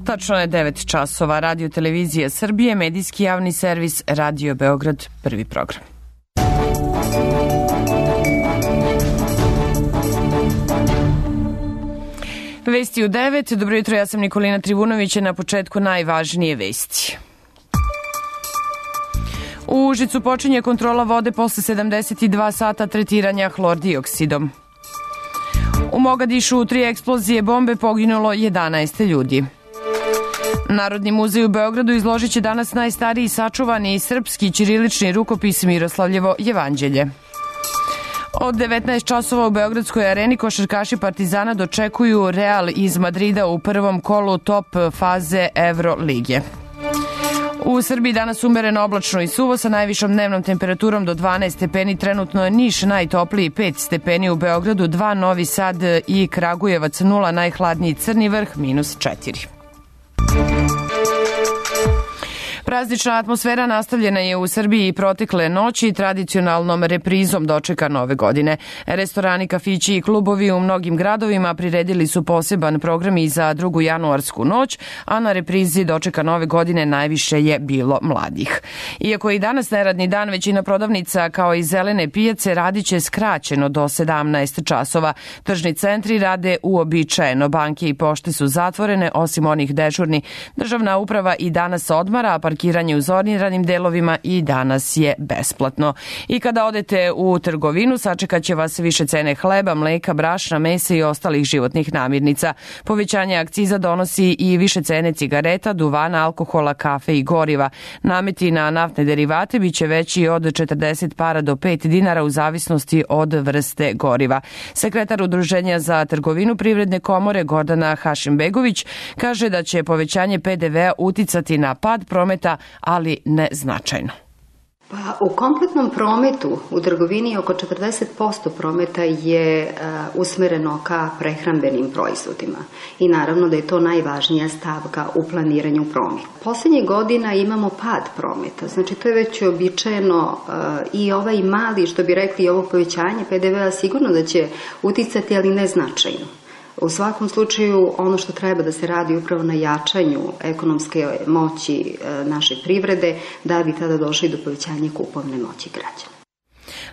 Tačno je 9 časova. Radio Televizija Srbije, medijski javni servis Radio Beograd, prvi program. Vesti u 9. Dobro jutro, ja sam Nikolina Trivunović, na početku najvažnije vesti. U Užicu počinje kontrola vode posle 72 sata tretiranja hlor-dioksidom. U Mogadišu u 3 eksplozije bombe poginulo 11 ljudi. Narodni muzej u Beogradu izložit će danas najstariji sačuvani srpski ćirilični rukopis Miroslavljevo jevanđelje. Od 19 časova u Beogradskoj areni košarkaši Partizana dočekuju Real iz Madrida u prvom kolu top faze Evrolige. U Srbiji danas umereno oblačno i suvo sa najvišom dnevnom temperaturom do 12 stepeni. Trenutno je Niš najtopliji 5 stepeni, u Beogradu 2, Novi Sad i Kragujevac 0, najhladniji Crni Vrh -4. Praznična atmosfera nastavljena je u Srbiji protekle noći tradicionalnom reprizom dočeka nove godine. Restorani, kafići i klubovi u mnogim gradovima priredili su poseban program i za 2. januarsku noć, a na reprizi dočeka nove godine najviše je bilo mladih. Iako je i danas neradni dan, većina prodavnica kao i zelene pijace radiće skraćeno do 17 časova. Tržni centri rade uobičajeno, banke i pošte su zatvorene, osim onih dežurni. Državna uprava i danas odmara, a parkiranje u zoniranim delovima i danas je besplatno. I kada odete u trgovinu, sačekaće vas više cene hleba, mleka, brašna, mesa i ostalih životnih namirnica. Povećanje akciza donosi i više cene cigareta, duvana, alkohola, kafe i goriva. Nameti na naftne derivate biće veći od 40 para do 5 dinara u zavisnosti od vrste goriva. Sekretar Udruženja za trgovinu Privredne komore Gordana Hašimbegović kaže da će povećanje PDV-a uticati na pad prometa, ali ne značajno. Pa u kompletnom prometu u trgovini oko 40% prometa je usmereno ka prehrambenim proizvodima i naravno da je to najvažnija stavka u planiranju prometa. Poslednjih godina imamo pad prometa, znači to je već običajeno i ovaj mali, što bi rekli, ovo povećanje PDV-a sigurno da će uticati, ali ne značajno. U svakom slučaju, ono što treba da se radi upravo na jačanju ekonomske moći naše privrede, da bi tada došli do povećanja kupovne moći građana.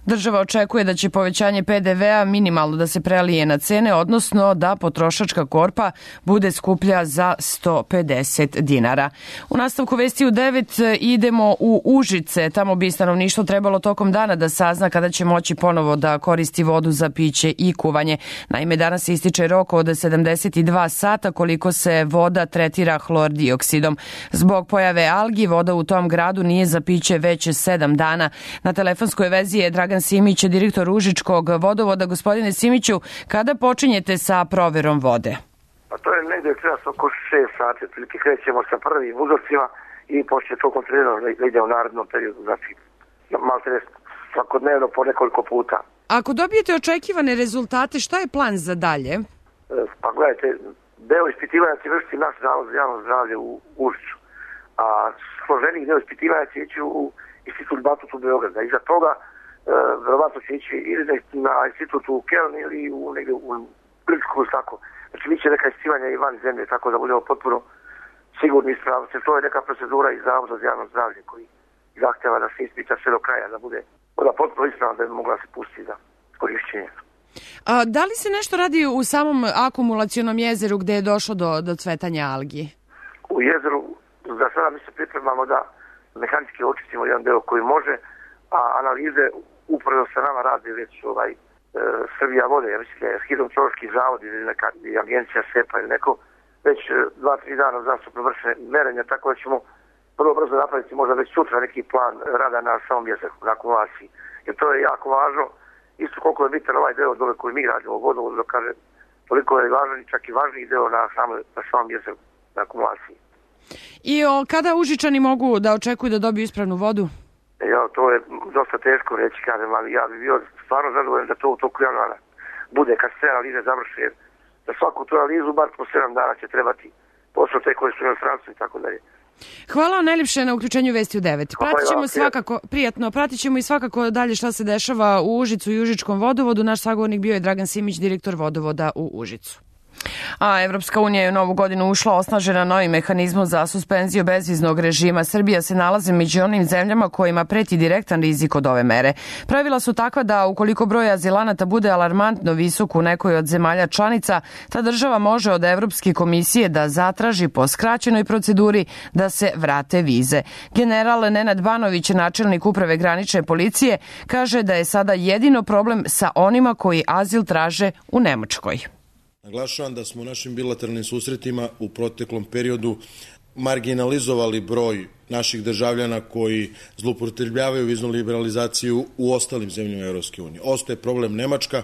Država očekuje da će povećanje PDV-a minimalno da se prelije na cene, odnosno da potrošačka korpa bude skuplja za 150 dinara. U nastavku vesti u 9 idemo u Užice. Tamo bi stanovništvo trebalo tokom dana da sazna kada će moći ponovo da koristi vodu za piće i kuvanje. Naime, danas se ističe rok od 72 sata koliko se voda tretira hlor-dioksidom. Zbog pojave algi, voda u tom gradu nije za piće već 7 dana. Na telefonskoj vezi je Dragan Simić, direktor Užičkog vodovoda. Gospodine Simiću, kada počinjete sa proverom vode? Pa to je negdje oko 6 sati, otprilike krećemo sa prvim uzorcima i počne to kontrolirano da ide u narednom periodu, znači malo svakodnevno po nekoliko puta. Ako dobijete očekivane rezultate, šta je plan za dalje? Pa gledajte, deo ispitivanja će vršiti naš zavod za javno zdravlje u Užiču, a složenih deo ispitivanja će ići u Institut Batutu Beograda. Iza toga verovatno će ići ili na institut u Kelni ili negdje u Gličku, tako. Znači, bit će neka ispitivanja i van zemlje, tako da budemo potpuno sigurni i ispravni. To je neka procedura iz Zavoda za javno zdravlje koji zahtjeva da se ispita sve do kraja, da bude potpuno ispravna, da bi mogla se pustiti za korišćenje. Da li se nešto radi u samom akumulacionom jezeru gde je došlo do cvetanja algi? U jezeru, za sada mi se pripremamo da mehanički očistimo jedan deo koji može, a analize upravo sa nama radi već Srbija vode, ja mislim da je hidrometeorološki zavod ili neka agencija SEPA ili neko, već 2-3 dana uzastopno vrše merenja, tako da ćemo vrlo brzo napraviti možda već sutra neki plan rada na samom jezeru, na akumulaciji. Jer to je jako važno, isto koliko je bitan ovaj deo dole koji mi radimo u vodovodu, da kaže, toliko je važan i čak i važniji deo na samom jezeru, na akumulaciji. I kada Užičani mogu da očekuju da dobiju ispravnu vodu? To je dosta teško reći, kažem, ali ja bih bio stvarno zadovoljan da to u toku januara bude, kad se analize završe, jer za svaku tu analizu bar po 7 dana će trebati posao te koje su u inostranstvu i tako dalje. Hvala vam najljepše na uključenju Vesti u 9. Pratićemo svakako, prijatno, pratićemo i svakako dalje šta se dešava u Užicu i Užičkom vodovodu. Naš sagovornik bio je Dragan Simić, direktor vodovoda u Užicu. A Evropska unija je u novu godinu ušla osnažena novim mehanizmom za suspenziju bezviznog režima. Srbija se nalazi među onim zemljama kojima preti direktan rizik od ove mere. Pravila su takva da ukoliko broj azilanata bude alarmantno visok u nekoj od zemalja članica, ta država može od Evropske komisije da zatraži po skraćenoj proceduri da se vrate vize. General Nenad Banović, načelnik uprave granične policije, kaže da je sada jedino problem sa onima koji azil traže u Nemačkoj. Naglašavam da smo u našim bilateralnim susretima u proteklom periodu marginalizovali broj naših državljana koji zloupotrebljavaju viznu liberalizaciju u ostalim zemljama Evropske unije. Ostaje problem Nemačka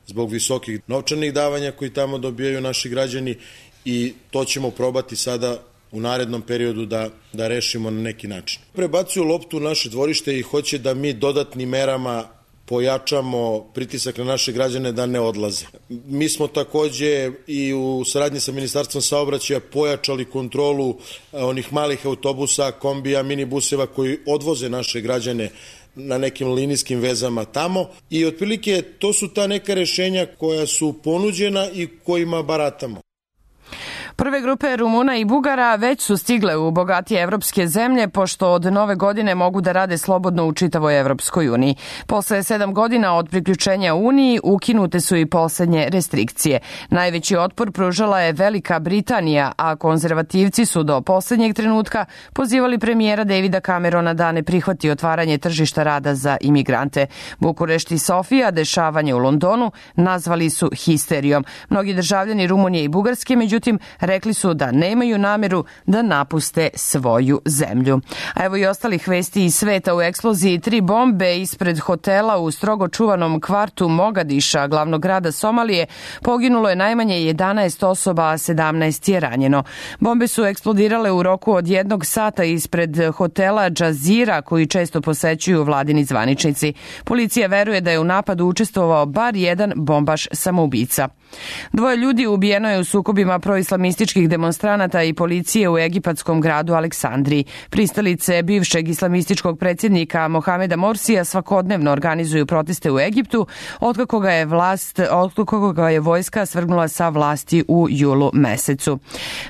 zbog visokih novčanih davanja koji tamo dobijaju naši građani i to ćemo probati sada u narednom periodu da rešimo na neki način. Prebacuju loptu u naše dvorište i hoće da mi dodatnim merama pojačamo pritisak na naše građane da ne odlaze. Mi smo takođe i u saradnji sa Ministarstvom saobraćaja pojačali kontrolu onih malih autobusa, kombija, minibuseva koji odvoze naše građane na nekim linijskim vezama tamo i otprilike to su ta neka rešenja koja su ponuđena i kojima baratamo. Prve grupe Rumuna i Bugara već su stigle u bogatije evropske zemlje, pošto od nove godine mogu da rade slobodno u čitavoj Evropskoj uniji. Posle 7 godina od priključenja Uniji ukinute su i poslednje restrikcije. Najveći otpor pružala je Velika Britanija, a konzervativci su do poslednjeg trenutka pozivali premijera Davida Camerona da ne prihvati otvaranje tržišta rada za imigrante. Bukurešt i Sofija dešavanje u Londonu nazvali su histerijom. Mnogi državljani Rumunije i Bugarske, međutim, rekli su da nemaju nameru da napuste svoju zemlju. A evo i ostalih vesti iz sveta. U eksploziji 3 bombe ispred hotela u strogo čuvanom kvartu Mogadiša, glavnog grada Somalije, poginulo je najmanje 11 osoba, a 17 je ranjeno. Bombe su eksplodirale u roku od 1 sata ispred hotela Džazira, koji često posećuju vladini zvaničnici. Policija veruje da je u napadu učestvovao bar jedan bombaš samoubica. 2 ljudi ubijeno je u sukobima proislamističkih demonstranata i policije u egipatskom gradu Aleksandriji. Pristalice bivšeg islamističkog predsjednika Mohameda Morsija svakodnevno organizuju proteste u Egiptu, otkako ga je vojska svrgnula sa vlasti u julu mesecu.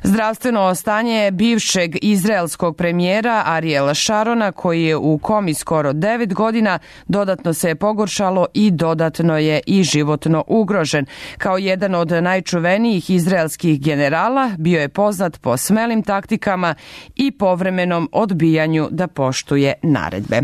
Zdravstveno stanje bivšeg izraelskog premijera Ariela Šarona, koji je u komi skoro 9 godina, dodatno se je pogoršalo i dodatno je i životno ugrožen. Kao jedan od najčuvenijih izraelskih generala, bio je poznat po smelim taktikama i povremenom odbijanju da poštuje naredbe.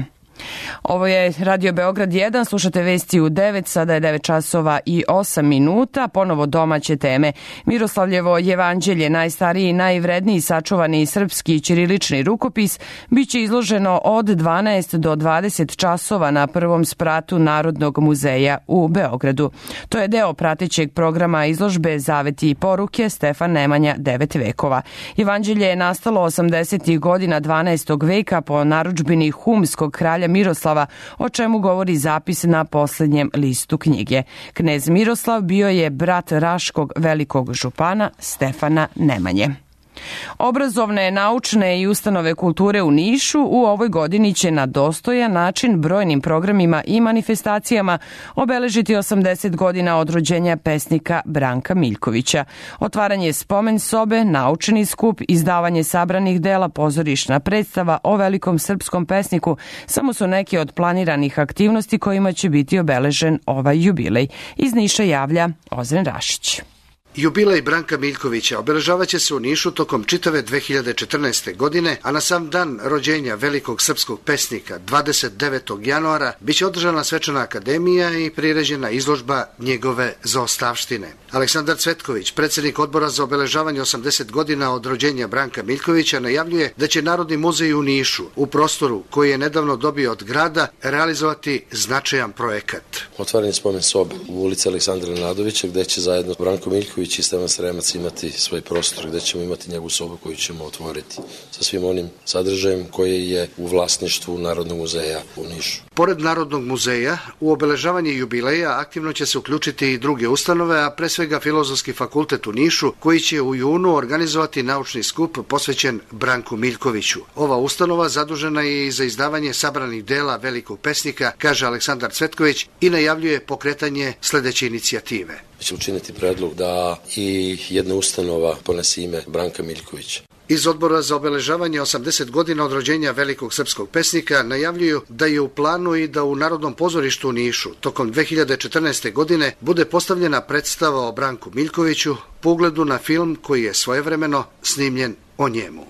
Ovo je Radio Beograd 1, slušate vesti u 9, sada je 9 časova i 8 minuta, ponovo domaće teme. Miroslavljevo jevanđelje, najstariji i najvredniji sačuvani srpski ćirilični rukopis, biće izloženo od 12 do 20 časova na prvom spratu Narodnog muzeja u Beogradu. To je deo pratećeg programa izložbe Zaveti i poruke Stefan Nemanja 9 vekova. Jevanđelje je nastalo 80. godina 12. veka po narudžbini humskog kralja Miroslava, o čemu govori zapis na poslednjem listu knjige. Knez Miroslav bio je brat Raškog velikog župana Stefana Nemanje. Obrazovne, naučne i ustanove kulture u Nišu u ovoj godini će na dostojan način brojnim programima i manifestacijama obeležiti 80 godina od rođenja pesnika Branka Miljkovića. Otvaranje spomen sobe, naučni skup, izdavanje sabranih dela, pozorišna predstava o velikom srpskom pesniku samo su neke od planiranih aktivnosti kojima će biti obeležen ovaj jubilej. Iz Niša javlja Ozren Rašić. Jubilej Branka Miljkovića obeležavaće se u Nišu tokom čitave 2014. godine, a na sam dan rođenja velikog srpskog pesnika 29. januara biće održana svečana akademija i priređena izložba njegove zaostavštine. Aleksandar Cvetković, predsjednik odbora za obeležavanje 80 godina od rođenja Branka Miljkovića, najavljuje da će Narodni muzej u Nišu, u prostoru koji je nedavno dobio od grada, realizovati značajan projekat. Otvaranje spomen sobe u ulici Aleksandra Nenadovića, gde će zajedno Branko Miljković i Stevan Sremac imati svoj prostor, gde ćemo imati njegovu sobu koju ćemo otvoriti sa svim onim sadržajem koji je u vlasništvu Narodnog muzeja u Nišu. Pored Narodnog muzeja, u obeležavanje jubileja aktivno će se uključiti i druge ustanove, a pre svega Filozofski fakultet u Nišu, koji će u junu organizovati naučni skup posvećen Branku Miljkoviću. Ova ustanova zadužena je i za izdavanje sabranih dela velikog pesnika, kaže Aleksandar Cvetković, i najavljuje pokretanje sledeće inicijative. Će učiniti predlog da i jedna ustanova ponese ime Branka Miljkovića. Iz Odbora za obeležavanje 80 godina od rođenja velikog srpskog pesnika najavljuju da je u planu i da u Narodnom pozorištu u Nišu tokom 2014. godine bude postavljena predstava o Branku Miljkoviću po ugledu na film koji je svojevremeno snimljen o njemu.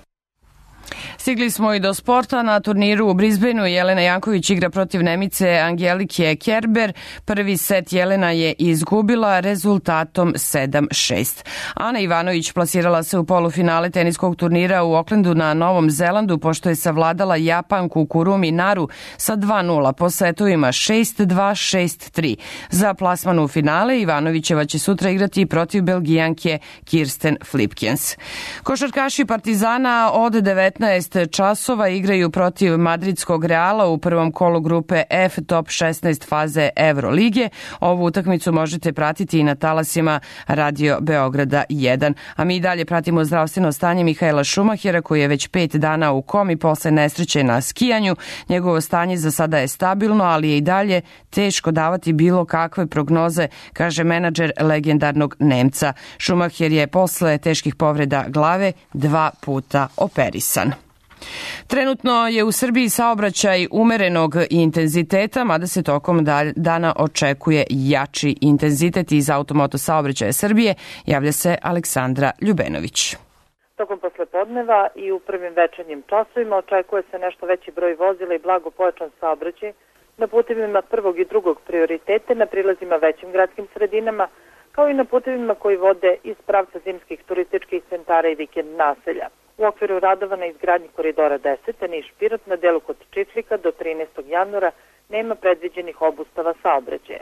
Stigli smo i do sporta. Na turniru u Brisbaneu Jelena Janković igra protiv Nemice Angelike Kerber. Prvi set Jelena je izgubila rezultatom 7-6. Ana Ivanović plasirala se u polufinale teniskog turnira u Aucklandu na Novom Zelandu pošto je savladala Japanku Kurumi Naru sa 2-0 po setovima 6-2, 6-3. Za plasman u finale Ivanovićeva će sutra igrati protiv Belgijanke Kirsten Flipkens. Košarkaši Partizana od 19 časova igraju protiv madridskog Reala u prvom kolu grupe F top 16 faze Evrolige. Ovu utakmicu možete pratiti i na talasima Radio Beograda 1. A mi dalje pratimo zdravstveno stanje Mihaela Šumahera koji je već 5 dana u komi posle nesreće na skijanju. Njegovo stanje za sada je stabilno, ali je i dalje teško davati bilo kakve prognoze, kaže menadžer legendarnog Nemca. Šumaher je posle teških povreda glave 2 puta operisan. Trenutno je u Srbiji saobraćaj umerenog intenziteta, mada se tokom dana očekuje jači intenzitet. Iz Automoto saobraćaja Srbije javlja se Aleksandra Ljubenović. Tokom poslepodneva i u prvim večernjim časovima očekuje se nešto veći broj vozila i blago pojačan saobraćaj na putevima prvog i drugog prioritete, na prilazima većim gradskim sredinama, kao i na putevima koji vode iz pravca zimskih turističkih centara i vikend naselja. U okviru radova na izgradnji koridora 10, Niš-Pirot na delu kod Čiflika do 13. januara nema predviđenih obustava saobraćaja.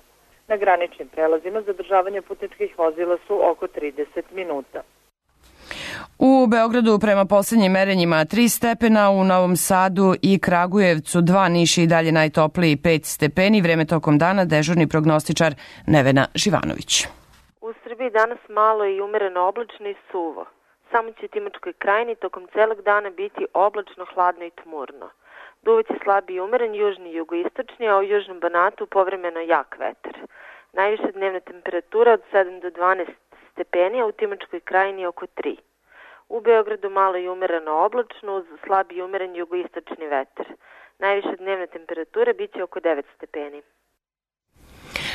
Na graničnim prelazima zadržavanje putničkih vozila su oko 30 minuta. U Beogradu prema poslednjim merenjima 3 stepena, u Novom Sadu i Kragujevcu 2, Niš i dalje najtopliji 5 stepeni. Vreme tokom dana dežurni prognostičar Nevena Živanović. U Srbiji danas malo i umereno oblačno i suvo. Samo će Timočkoj krajini tokom celog dana biti oblačno, hladno i tmurno. Duvaće slabi i umeren južni i jugoistočni, a u južnom Banatu povremeno jak vetar. Najviša dnevna temperatura od 7 do 12 stepeni, a u Timočkoj krajini oko 3. U Beogradu malo i umereno oblačno uz slabi i umeren jugoistočni vetar. Najviša dnevna temperatura biće oko 9 stepeni.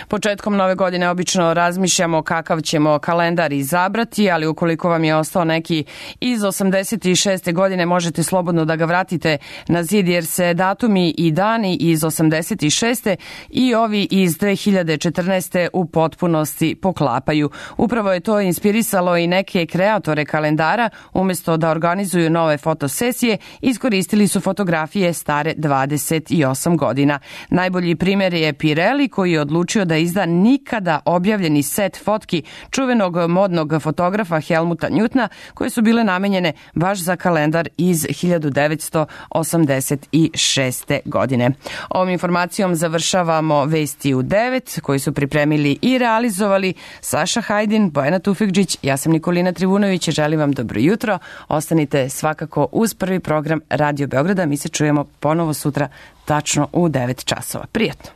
Početkom nove godine obično razmišljamo kakav ćemo kalendar izabrati, ali ukoliko vam je ostao neki iz 86. godine, možete slobodno da ga vratite na zid, jer se datumi i dani iz 86. i ovi iz 2014. u potpunosti poklapaju. Upravo je to inspirisalo i neke kreatore kalendara. Umesto da organizuju nove fotosesije, iskoristili su fotografije stare 28 godina. Najbolji primer je Pirelli, koji je odlučio da izda nikada objavljeni set fotki čuvenog modnog fotografa Helmuta Newtona, koje su bile namenjene baš za kalendar iz 1986. godine. Ovom informacijom završavamo Vesti u 9, koji su pripremili i realizovali Saša Hajdin, Bojana Tufikđić, ja sam Nikolina Trivunović i želim vam dobro jutro. Ostanite svakako uz prvi program Radio Beograda. Mi se čujemo ponovo sutra tačno u 9 časova. Prijatno!